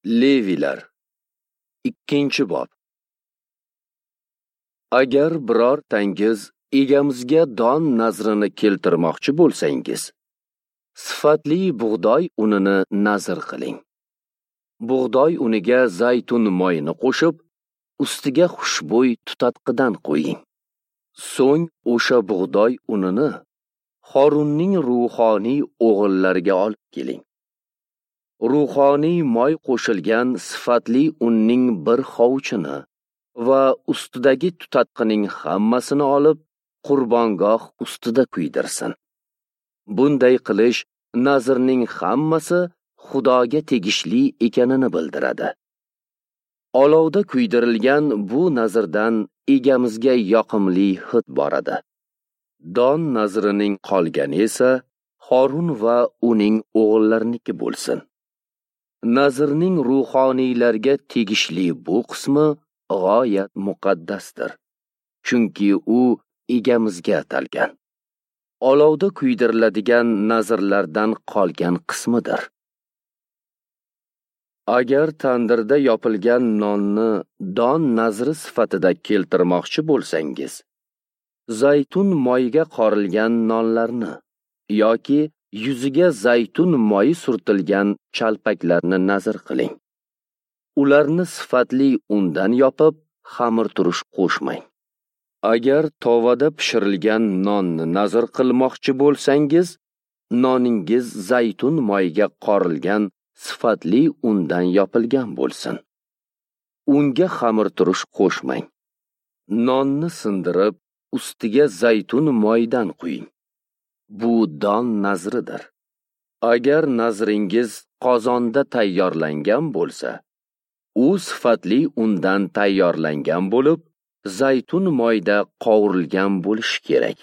Levilar 2-bob. Agar birortangiz egamizga don nazrini keltirmoqchi bo'lsangiz, sifatli bug'doy unini nazr qiling. Bug'doy uniga zaytun moyini qo'shib, ustiga xushbo'y tutatqidan qo'ying. So'ng o'sha bug'doy unini Xorunning ruhoniy o'g'illariga olib keling. Ruhoniy moy qo'shilgan sifatli unning bir hovuchini va ustidagi tutatqining hammasini olib, qurbongoh ustida kuydirsin. Bunday qilish nazrning hammasi Xudoga tegishli ekanini bildiradi. Olovda kuydirilgan bu nazrdan egamizga yoqimli hid boradi. Don nazrining qolgani esa Xorun va uning o'g'illarniki bo'lsin. Nazrning ruhoniylarga tegishli bu qismi g'oyat muqaddasdir, chunki u egamizga atalgan. Olovda kuydiriladigan nazrlardan qolgan qismidir. Agar tandirda yopilgan nonni don nazri sifatida keltirmoqchi bo'lsangiz, zaytun moyiga qorilgan nonlarni yoki yuziga zaytun moyi surtilgan chalpaklarni nazr qiling. Ularni sifatli undan yopib, xamirturush qo'shmang. Agar tovada pishirilgan nonni nazr qilmoqchi bo'lsangiz, noningiz zaytun moyiga qorilgan sifatli undan yopilgan bo'lsin. Unga xamirturush qo'shmang. Nonni sindirib, ustiga zaytun moyidan quying. Bu don nazridir. Agar nazringiz qozonda tayyorlangan bo'lsa, u sifatli undan tayyorlangan bo'lib, zaytun moyida qovurilgan bo'lishi kerak.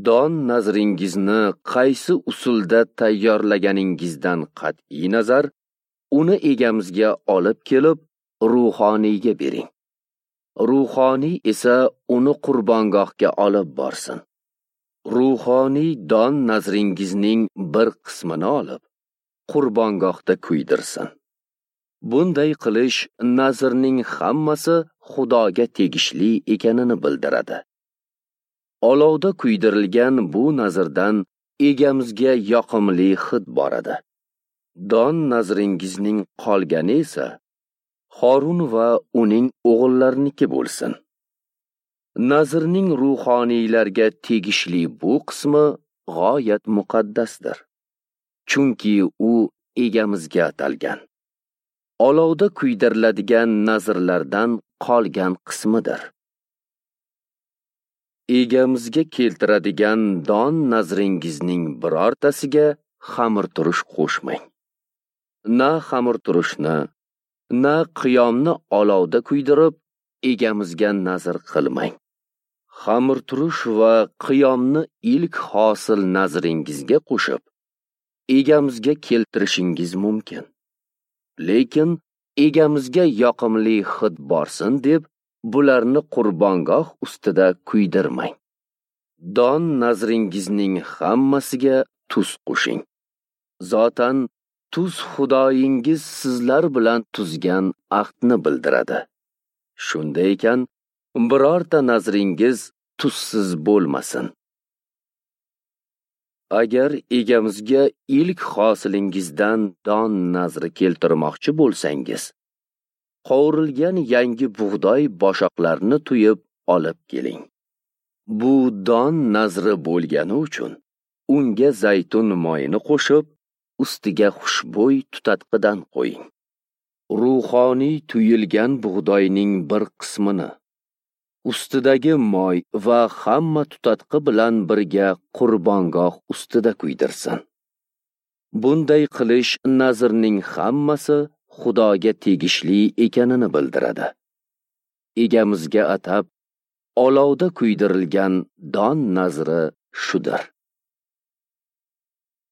Don nazringizni qaysi usulda tayyorlaganingizdan qat'iy nazar, uni egamizga olib kelib, ruhoniyga bering. Ruhoniy esa uni qurbongohga olib borsin. Ruhoniy don nazringizning bir qismini olib, qurbongohda kuydirsin. Bunday qilish nazrning hammasi Xudoga tegishli ekanini bildiradi. Olovda kuydirilgan bu nazrdan egamizga yoqimli hid boradi. Don nazringizning qolgani esa Xorun va uning o'g'illarniki bo'lsin. Nazrning ruhoniylarga tegishli bu qismi g'oyat muqaddasdir, chunki u egamizga atalgan. Olovda kuydiriladigan nazrlardan qolgan qismidir. Egamizga keltiradigan don nazringizning birortasiga xamirturush qo'shmang. Na xamirturushni, na qiyomni olovda kuydirib, egamizga nazr qilmang. Xamirturush va qiyomni ilk hosil nazringizga qo'shib, egamizga keltirishingiz mumkin. Lekin egamizga yoqimli hid borsin deb bularni qurbongoh ustida kuydirmang. Don nazringizning hammasiga tuz qo'shing. Zotan tuz Xudoyingiz sizlar bilan tuzgan ahdni bildiradi. Shunday ekan, birorta nazringiz tuzsiz bo'lmasin. Agar egamizga ilk hosilingizdan don nazri keltirmoqchi bo'lsangiz, qovurilgan yangi bug'doy boshoqlarini tuyib olib keling. Bu don nazri bo'lgani uchun unga zaytun moyini qo'shib, ustiga xushbo'y tutatqidan qo'ying. Ruhoniy tuyilgan bug'doyning bir qismini ustidagi moy va hamma tutatqi bilan birga qurbongoh ustida kuydirsin. Bunday qilish nazrning hammasi Xudoga tegishli ekanini bildiradi. Egamizga atab olovda kuydirilgan don nazri shudir.